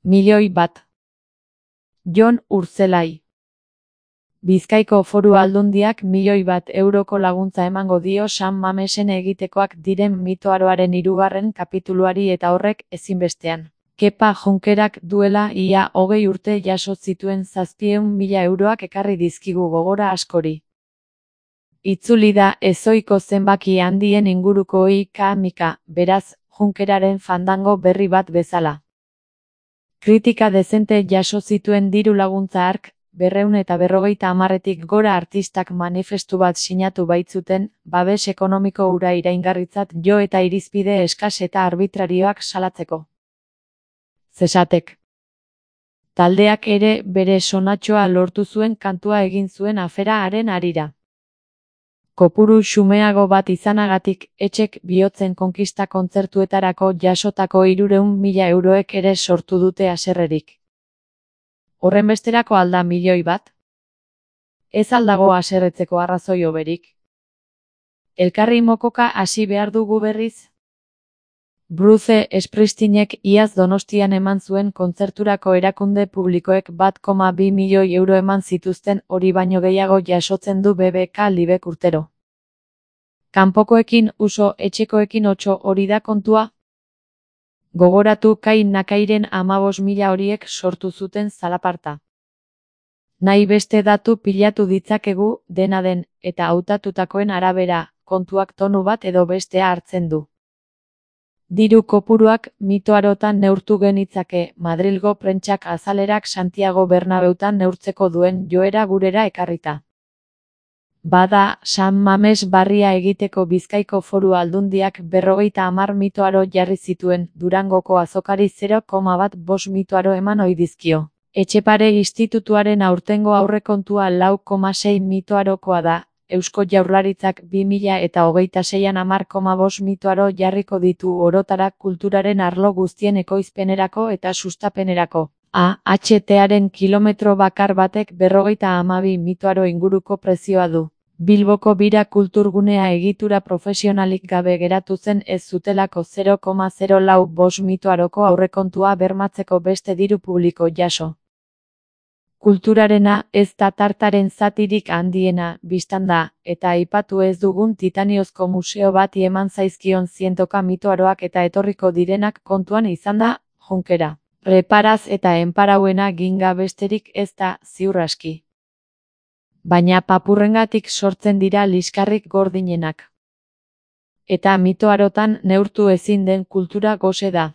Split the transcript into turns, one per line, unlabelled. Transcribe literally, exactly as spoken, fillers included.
Milioi bat. Jon Urtzelai. Bizkaiko Foru Aldundiak milioi bat euroko laguntza emango dio San Mamesen egitekoak diren mitoaroaren hirugarren kapituluari eta horrek ezinbestean. Kepa Junkerak duela ia hogei urte jaso zituen zazpiehun mila euroak ekarri dizkigu gogora askori. Itzuli da ezohiko zenbaki handien inguruko ika-mika, beraz, Junkeraren fandango berri bat bezala. Kritika dezente jaso zituen diru laguntza hark, berrehun eta berrogeita hamarretik gora artistak manifestu bat sinatu baitzuten, babes ekonomiko hura iraingarritzat jo eta irizpide eskas eta arbitrarioak salatzeko. Zesatek. Taldeak ere bere sonatxoa lortu zuen kantua egin zuen afera haren harira. Kopuru xumeago bat izanagatik, etxek bihotzen konkista kontzertuetarako jasotako hirurehun mila euroek ere sortu dute haserrerik. Horrenbesterako alda milioi bat? Ez aldago haserretzeko arrazoi hoberik. Elkarri mokoka hasi behar dugu berriz? Bruce Springsteenek iaz Donostian eman zuen kontzerturako erakunde publikoek bat koma bi milioi euro eman zituzten, hori baino gehiago jasotzen du B B K Libek urtero. Kanpokoekin uso, etxekoekin otso, hori da kontua? Gogoratu Kai Nakairen hamabost mila horiek sortu zuten zalaparta. Nahi beste datu pilatu ditzakegu, dena den, eta hautatutakoen arabera, kontuak tonu bat edo bestea hartzen du. Diru kopuruak mitoarotan neurtu genitzake, Madrilgo prentsak azalerak Santiago Bernabeutan neurtzeko duen joera gurera ekarrita. Bada, San Mames barria egiteko Bizkaiko Foru Aldundiak berrogeita hamar mitoaro jarri zituen, Durangoko azokari zero koma bat bost mitoaro eman ohi dizkio. Etxepare institutuaren aurtengo aurrekontua lau koma sei mitoarokoa da, Eusko Jaurlaritzak bi mila eta hogeita seian hamar koma bost mitoaro jarriko ditu orotara kulturaren arlo guztien ekoizpenerako eta sustapenerako. A H T-aren kilometro bakar batek berrogeita hamabi mitoaro inguruko prezioa du. Bilboko Bira kulturgunea egitura profesionalik gabe geratu zen ez zutelako zero koma zero lau bost mitoaroko aurrekontua bermatzeko beste diru publiko jaso. Kulturarena ez da tartaren zatirik handiena, bistan da, eta aipatu ez dugun titaniozko museo bati eman zaizkion zientoka mitoaroak eta etorriko direnak kontuan izan da, Junkera. Reparaz eta enparauena ginga besterik ez da, ziur aski. Baina papurrengatik sortzen dira liskarrik gordinenak. Eta mitoarotan neurtu ezin den kultura gose da.